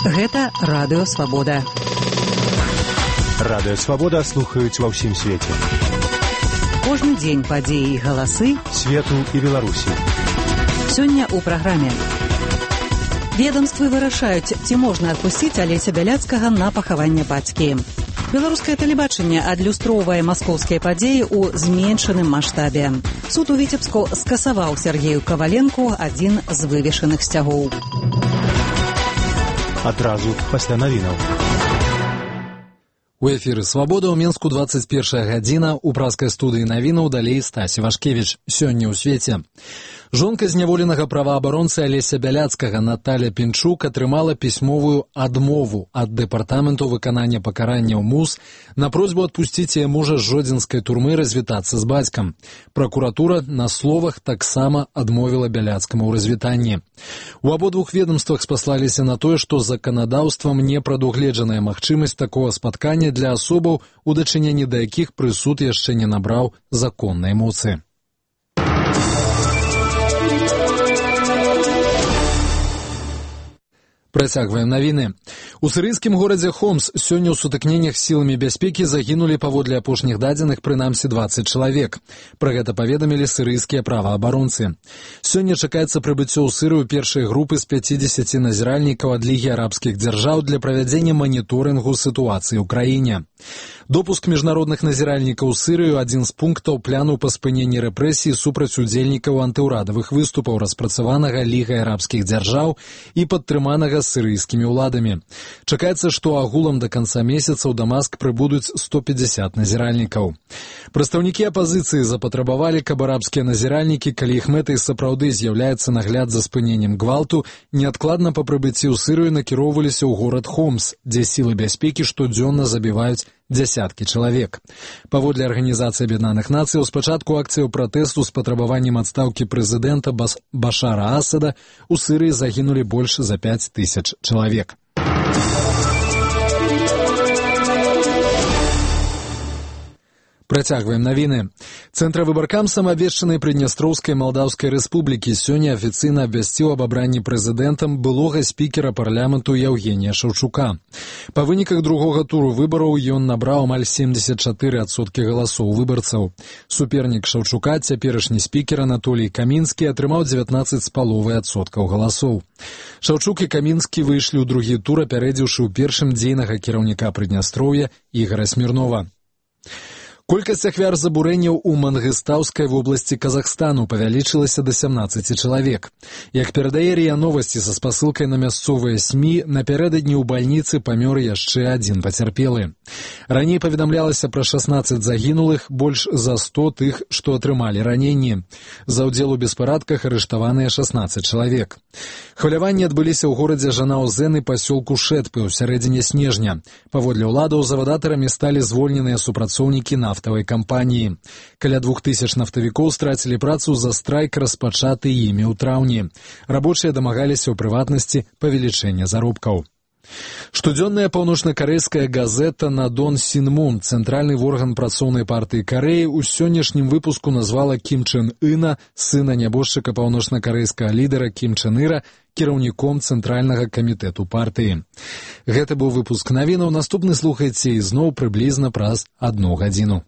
Гэта Радыё Свабода. Радыё Свабода слухаюць ва ўсім свеце. Кожны дзень падзеі і галасы свету і Беларусі. Сёння ў праграме. Ведомствы вырашаюць, ці можна адпусціць Алеся Бяляцкага на пахаванне бацькі. Беларускае тэлебачанне адлюстроўвае маскоўскія падзеі ў зменшаным маштабе. Суд у Віцебску скасаваў Сергею Каваленку адзін з вывешаных сцягоў. Адразу пасля навінаў. У эфіры «Свабода» ў Мінску 21 гадзіна, у праскай студыі навінаў далей Стасі Вашкевіч. Сёння ў свеце. Жонка зняволенага праваабаронцы Алеся Бяляцкага Наталя Пінчук атрымала пісьмовую адмову ад Дэпартаменту выканання пакаранняў МУС на просьбу адпусціць яе мужа з жодзінскай турмы развітацца з бацькам. Пракуратура на словах таксама адмовіла Бяляцкаму ў развітанні. У абодвух ведомствах спаслаліся на тое, што заканадаўствам не прадугледжаная магчымасць такога спаткання для асобаў, у дачыненні да якіх прысуд яшчэ не набраў законнай моцы. Працягваем навіны. У сірыйскім горадзе Хомс сёння ў сутыкненнях з сіламі бяспекі загінулі паводле апошніх дадзеных прынамсі 20 чалавек. Пра гэта паведамілі сірыйскія праваабаронцы. Сёння чакаецца прыбыццё ў Сырыю першай групы з 50 назіральнікаў ад Лігі арабскіх дзяржаў для правядзення маніторынгу сітуацыі ў краіне. Допуск міжнародных назіральнікаў у Сырыю адзін з пунктаў пляну па спыненні рэпрэсій супраць удзельнікаў антыўрадавых выступаў, распрацаванага Лігай арабскіх дзяржаў і падтрыманага сірыйскімі ўладамі. Чакаецца, што агулам да канца месяца ў Дамаск прыбудуць 150 назіральнікаў. Прадстаўнікі апазіцыі запатрабавалі, каб арабскія назіральнікі, калі іх мэтай сапраўды з'яўляецца нагляд за спыненнем гвалту, неадкладна па прыбыцці ў Сырыю накіроўваліся ў горад Хомс, дзе сілы бяспекі штодзённа забіваюць дзясяткі чалавек. Паводле Арганізацыі Аб'яднаных Нацыяў, спачатку акцыяў пратэсту з патрабаваннем адстаўкі прэзідэнта Башара Асада у Сырыі загінулі больш за 5000 чалавек. Працягваем навіны. Цэнтравыбаркам самаабвешчанай Прыднястроўскай Малдаўскай Рэспублікі сёння афіцыйна абвясціў аб абранні прэзідэнтам былога спікера парламенту Яўгенія Шаўчука. Па выніках другога туру выбараў ён набраў амаль 74% галасоў выбарцаў. Супернік Шаўчука, цяперашні спікер Анатолій Камінскі, атрымаў 19,5% галасоў. Шаўчук і Камінскі выйшлі ў другі тур, апярэдзіўшы ў першым дзейнага кіраўніка Прыднястроўя Ігара Смірнова. Колькасць ахвяр забурэнняў у Мангыстаўскай вобласці Казахстану павялічылася да 17 чалавек. Як перадае РИА Новасці са спасылкай на мясцовыя СМІ, напярэдадні ў бальніцы памёр яшчэ адзін пацярпелы. Раней паведамлялася пра 16 загінулых, больш за 100 тых, што атрымалі раненні. За ўдзел у беспарадках арыштаваныя 16 чалавек. Хваляванні адбыліся ў горадзе Жанаузен і пасёлку Шэтпы ў сярэдзіне снежня. Паводле ўладаў, завадатарамі сталі звольненыя супрацоўнікі нафтавай кампаніі. Каля 2000 нафтавікоў страцілі працу за страйк, распачаты імі ў траўні. Рабочыя дамагаліся ў прыватнасці павелічэння заробкаў. Штодзённая паўночнакарэйская газета «Надон Сінмун», цэнтральны орган працоўнай партыі Карэі, у сённяшнім выпуску назвала Кім Чен Ына, сына нябожчыка паўночнакарэйскага лідара Кім Чен Іра, кіраўніком цэнтральнага камітэту партыі. Гэта быў выпуск навінаў. Наступны слухайце ізноў прыблізна праз 1 гадзіну.